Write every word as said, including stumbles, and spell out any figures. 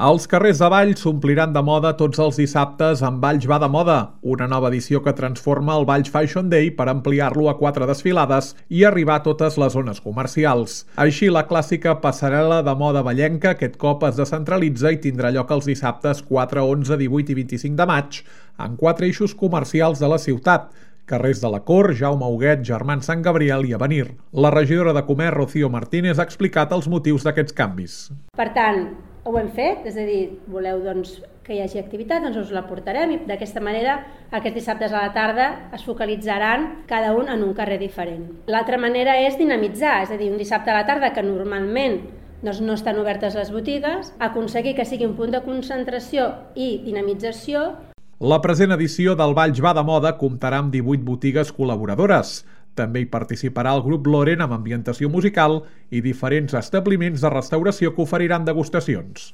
Els carrers de Valls s'ompliran de moda tots els dissabtes amb Valls va de moda, una nova edició que transforma el Valls Fashion Day per ampliar-lo a quatre desfilades i arribar a totes les zones comercials. Així, la clàssica passarel·la de moda vallenca aquest cop es descentralitza i tindrà lloc els dissabtes quatre, onze, divuit i vint-i-cinc de maig en quatre eixos comercials de la ciutat: carrers de la Cort, Jaume Huguet, Germans Sant Gabriel i Avenir. La regidora de Comerç, Rocío Martínez, ha explicat els motius d'aquests canvis. Per tant, ho hem fet, és a dir, voleu doncs, que hi hagi activitat, doncs us la portarem i d'aquesta manera aquests dissabtes a la tarda es focalitzaran cada un en un carrer diferent. L'altra manera és dinamitzar, és a dir, un dissabte a la tarda que normalment doncs, no estan obertes les botigues, aconseguir que sigui un punt de concentració i dinamització. La present edició del Valls va de moda comptarà amb divuit botigues col·laboradores. També hi participarà el grup Loren amb ambientació musical i diferents establiments de restauració que oferiran degustacions.